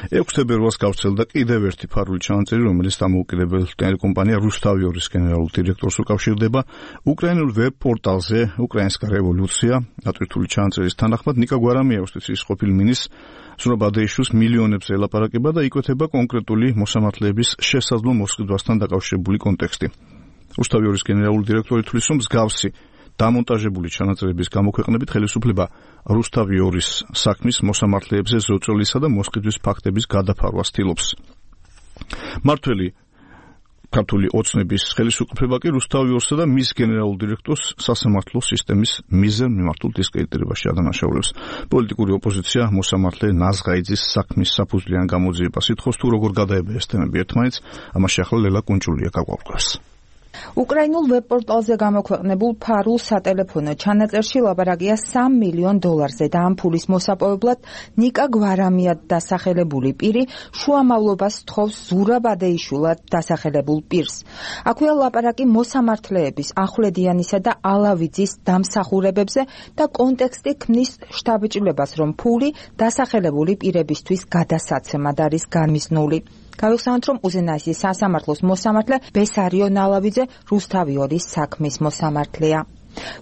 6 თებერვალს გავრცელდა კიდევ ერთი ფარული ჩანაწერი, რომელიც დამოუკიდებელ ტელეკომპანია რუსთავი-2-ის გენერალურ დირექტორს უკავშირდება. უკრაინულ ვებ-პორტალზე უკრაინსკა რევოლუცია ატვირთული ჩანაწერის თანახმად ნიკა გვარამია იუსტიციის ყოფილი მინისტრს ზურაბადეიშვილს მილიონებს ელაპარაკება და იკვეთება კონკრეტული მოსამართლეების შესაძლო მოსყიდვასთან დაკავშირებული კონტექსტი. რუსთავი-2-ის გენერალური დირექტორი თვლის, რომ მსგავსი დამონტაჟებული ჩანაწერების გამოქვეყნებით ხელისუფლება რუსთავი-2-ის საქმის მოსამართლეებზე ზოწოლისა და მოსყიდვის ფაქტების გადაფარვას ცდილობს. მართველი ქართული ოცნების ხელისუფლება კი რუსთავი-2-სა და მის გენერალურ დირექტორს სასამართლო სისტემის მიზერ მიმართულ დისკრედიტირებაში ადანაშაულებს. პოლიტიკური ოპოზიცია მოსამართლე ნაზღაიძის საქმის საფუძვლიან გამოძიებას ითხოვს, თუ როგორ გადაება ეს თემები ერთმანეთს, ამაში ახლა ლელა კუნჭულია გაგვაყურებს. უკრაინულ ვებ-პორტალზე გამოქვეყნებულ ფარულ სატელეფონო ჩანაწერში ლაპარაკია $3 მილიონ და ამ ფულის მოსაპოვებლად ნიკა გვარამია დასახელებული პირი შუამავლობას თხოვს ზურაბადეიშვილად დასახელებულ პირს. აქვეა ლაპარაკი მოსამართლეების ახვლედიანისა და ალავიძის დამსახურებებზე და კონტექსტი ქმნის შთაბეჭდილებას, რომ ფული დასახელებული პირებისთვის გადასაცემად არის გამიზნული. გავიხსენოთ, რომ უზენაესის სასამართლოს მოსამართლე ბესარიო ნალავიძე რუსთავი-2-ის საქმის მოსამართლეა.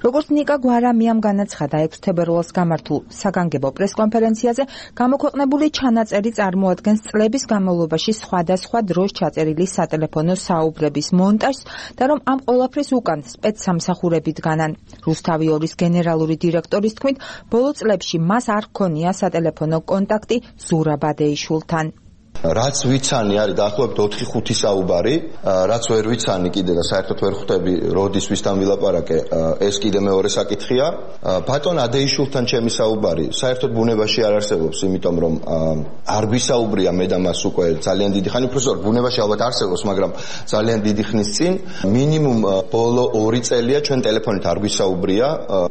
როგორც ნიკა გვარამიამ განაცხადა 6 თებერვალს გამართულ საგანგებო პრესკონფერენციაზე, გამოქვეყნებული ჩანაწერი წარმოადგენს წლების განმავლობაში სხვადასხვა დროს ჩაწერილი სატელეფონო საუბრების მონტაჟს და რომ ამ ყველაფრის უკან სპეცსამსახურები დგანან. რუსთავი-2-ის გენერალური დირექტორის თქმით, ბოლო წლებში მას არ ჰქონია სატელეფონო კონტაქტი ზურაბადეიშვილთან. რაც ვიცანი არის დაახლოებით 4-5 საუბარი, რაც ვერ ვიცანი კიდე და საერთოდ ვერ ხვდები როდის ვისთან ვილაპარაკე, ეს კიდე მეორე საკითხია. ბატონ ადეიშვილთან ჩემი საუბარი საერთოდ ბუნებაში არ არსებობს, იმიტომ რომ არ ვისაუბრია მე და მას უკვე ძალიან დიდი ხანი, უბრალოდ ბუნებაში ალბათ არსებობს, მაგრამ ძალიან დიდი ხნის წინ მინიმუმ ბოლო 2 წელია ჩვენ ტელეფონით არ ვისაუბრია.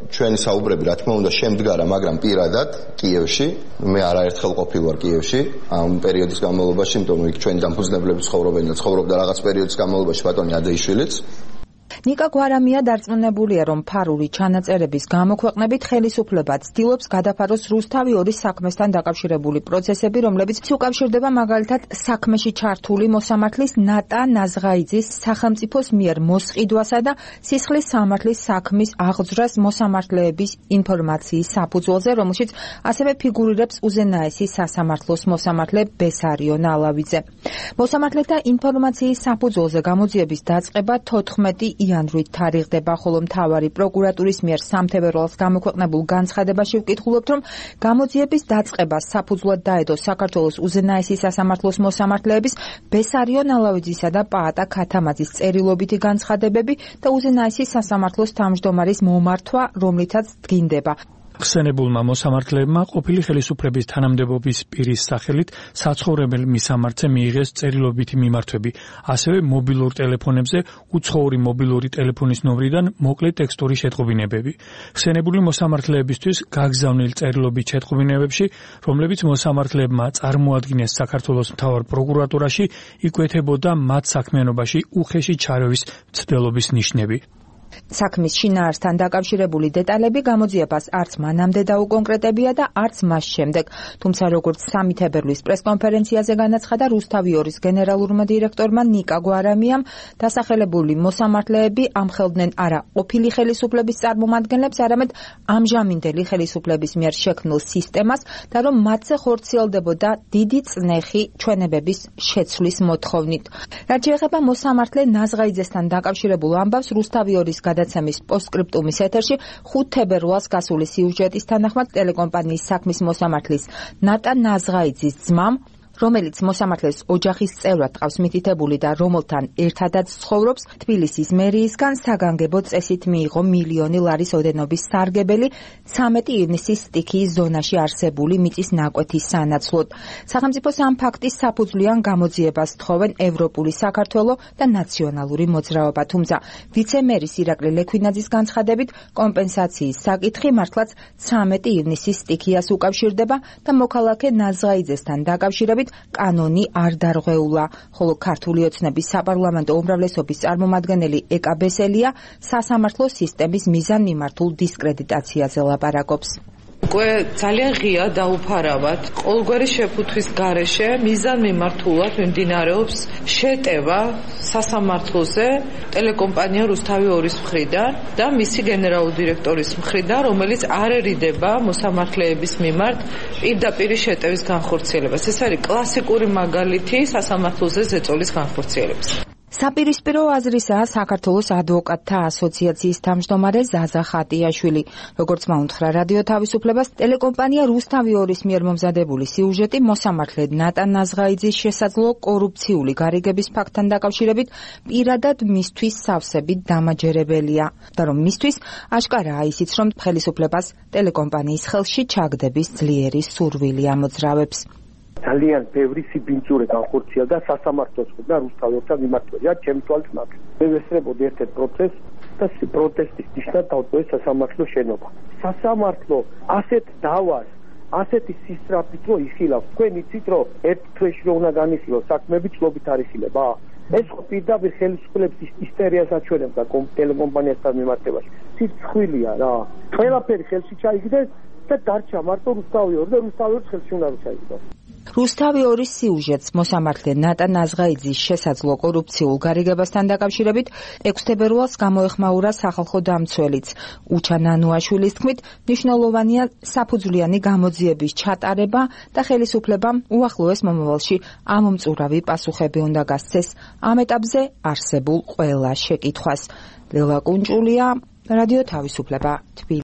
ჩვენი საუბრები რა თქმა უნდა შემდგარა, მაგრამ პირადად კიევში, მე არაერთხელ ყოფილ ვარ კიევში ამ პერიოდის განმავლობაში, იმიტომ რომ იქ ჩვენი დამფუძნებლები ცხოვრობენ და ცხოვრობდა რაღაც პერიოდის განმავლობაში ბატონი ადეიშვილიც. ნიკა გვარამია დარწმუნებულია, რომ ფარული ჩანაწერების გამოქვეყნებით ხელისუფლება ცდილობს გადაფაროს რუსთავი-2-ის საქმესთან დაკავშირებული პროცესები, რომლებიც უკავშირდება მაგალითად საქმეში ჩართული მოსამართლის ნატა ნაზღაიძის სახელმწიფოს მიერ მოსყიდვასა და სისხლის სამართლის საქმის აღძვრას მოსამართლეების ინფორმაციის საფუძველზე, რომელშიც ასევე ფიგურირებს უზენაესის სასამართლოს მოსამართლე ბესარიო ნალავიძე. მოსამართლეთა ინფორმაციის საფუძველზე გამოძიების დაწყება 14 იანვრით თარიღდება, ხოლო მთავარი პროკურატურის მიერ 3 თებერვალს გამოქვეყნებულ განცხადებაში ვკითხულობთ, რომ გამოძიების დაწყებას საფუძვლად დაედო საქართველოს უზენაესის სასამართლოს მოსამართლეების ბესარიო ნალავიძისა და პაატა ქათამაძის წერილობითი განცხადებები და უზენაესის სასამართლოს თავმჯდომარის მომართვა, რომლითაც დგინდება. ხსენებულმა მოსამართლეებმა ყოფილი ხელისუფლების თანამდებობის პირის სახელით საცხოვრებელ მისამართზე მიიღეს წერილობითი მიმართვები, ასევე მობილურ ტელეფონებზე უცხოური მობილური ტელეფონის ნომრიდან მოკლე ტექსტური შეტყობინებები. ხსენებული მოსამართლეებისთვის გაგზავნილ წერილობით შეტყობინებებში, რომლებიც მოსამართლეებმა წარმოადგინეს საქართველოს მთავარ პროკურატურაში, იკვეთებოდა მათ საქმიანობაში უხეში ჩარევის მცდელობის ნიშნები. საქმის შინაარსთან დაკავშირებული დეტალები გამოძიებას არც მანამდე დაუკონკრეტებია და არც მას შემდეგ. თუმცა როგორც 3 თებერვლის პრესკონფერენციაზე განაცხადა რუსთავი-2-ის გენერალურმა დირექტორმა ნიკა გვარამიამ, დასახელებული მოსამართლეები ამხელდნენ არა ყოფილი ხელისუფლების წარმომადგენლებს, არამედ ამჟამინდელი ხელისუფლების მიერ შექმნილ სისტემას და რომ მათზე ხორციელდებოდა დიდი წნეხი ჩვენებების შეცვლის მოთხოვნით. რაც შეეხება მოსამართლე ნაზღაიძესთან დაკავშირებულ ამბავს, რუსთავი-2-ის გადაცემის პოსტსკრიპტუმის ეთერში 5 თებერვალს გასული სიუჟეტის თანახმად ტელეკომპანიის საქმის მოსამართლის ნატა ნაზღაიძის ძმამ, რომელიც მოსამართლეს ოჯახის წევრად ყავს მითითებული და რომელთან ერთადაც ცხოვრობს, თბილისის მერიისგან საგანგებო წესით მიიღო $1 მილიონი ოდენობის სარგებელი 13 ივნისის სტიქიის ზონაში არსებული მიწის ნაკვეთის სანაცვლოდ. სახელმწიფოს ამ ფაქტის საფუძვლიან გამოძიებას თხოვენ ევროპული საქართველო და ნაციონალური მოძრაობა, თუმცა ვიცე-მერის ირაკლი ლექვინაძის განცხადებით კომპენსაციის საკითხი მართლაც 13 ივნისის სტიქიას უკავშირდება და მოქალაქე ნაზღაიძესთან დაკავშირებით კანონი არ დარღვეულა, ხოლო ქართული ოცნების საპარლამენტო უმრავლესობის წარმომადგენელი ეკა ბესელია სასამართლო სისტემის მიზანმიმართულ დისკრედიტაციაზე ლაპარაკობს. უკვე ძალიან ღია დაუფარავად ყოველგვარი შეფუთვის გარეშე მიზანმიმართულად მიმდინარეობს შეტევა სასამართლოზე ტელეკომპანია რუსთავი 2-ის მხრიდან და მისი გენერალური დირექტორის მხრიდან, რომელიც არ ერიდება მოსამართლეების მიმართ პირდაპირ შეტევის განხორციელებას. ეს არის კლასიკური მაგალითი სასამართლოზე ზეწოლის განხორციელების. საპირისპირო აზრისაა საქართველოს ადვოკატთა ასოციაციის თავმჯდომარე ზაზა ხატიაშვილი. როგორც მაუნთხრა რადიო თავისუფლებას, ტელეკომპანია რუსთავი 2-ის მიერ მომზადებული სიუჟეტი მოსამართლე ნატა ნაზღაიძის შესაძლო კორუფციული გარიგების ფაქტთან დაკავშირებით პირადად მისთვის სავსებით დამაჯერებელია და რომ მისთვის აშკარაა ისიც, რომ ხელისუფლებას ტელეკომპანიის ხელში ჩაგდების ძლიერი სურვილი ამოძრავებს. ძალიან ბევრი სიბინძურე განხორციელდა სასამართლოს და რუსთავი 2-თან მიმართული. ჩემი თვალით მაგ. მე ვესწრებოდი ერთ პროცესს და პროტესტის ნიშნად დავტოვე სასამართლოს შენობა. სასამართლო ასეთ დავას, ასეთი სისწრაფით რო იხილავს. თქვენ იცით რომ ერთ თვეში რო უნდა განიხილოს საქმეები წლობით არ იხილება? ეს ხო პირდაპირ ხელისუფლების ისტორიას აჩვენებდა ტელეკომპანიასთან მიმართებაში. სიცხვილია რა. ყველაფერი ხელში ჩაიგდეს და დარჩა მარტო რუსთავი 2 და რუსთავი 2 ხელში უნდა ჩაიგდეს. რუსთავი 2-ის სიუჟეტს მოსამართლე ნატა ნაზღაიძის შესაძლო კორუფციულ გარიგებასთან დაკავშირებით 6 თებერვალს გამოეხმაურა სახალხო დამცველიც. უჩა ნანუაშვილის თქმით, მნიშვნელოვანია საფუძვლიანი გამოძიების ჩატარება და ხელისუფლებამ უახლოეს მომავალში ამომწურავი პასუხები უნდა გასცეს ამ ეტაპზე არსებულ ყველა შეკითხვას. ლელა კუნჭულია, რადიო თავისუფლება.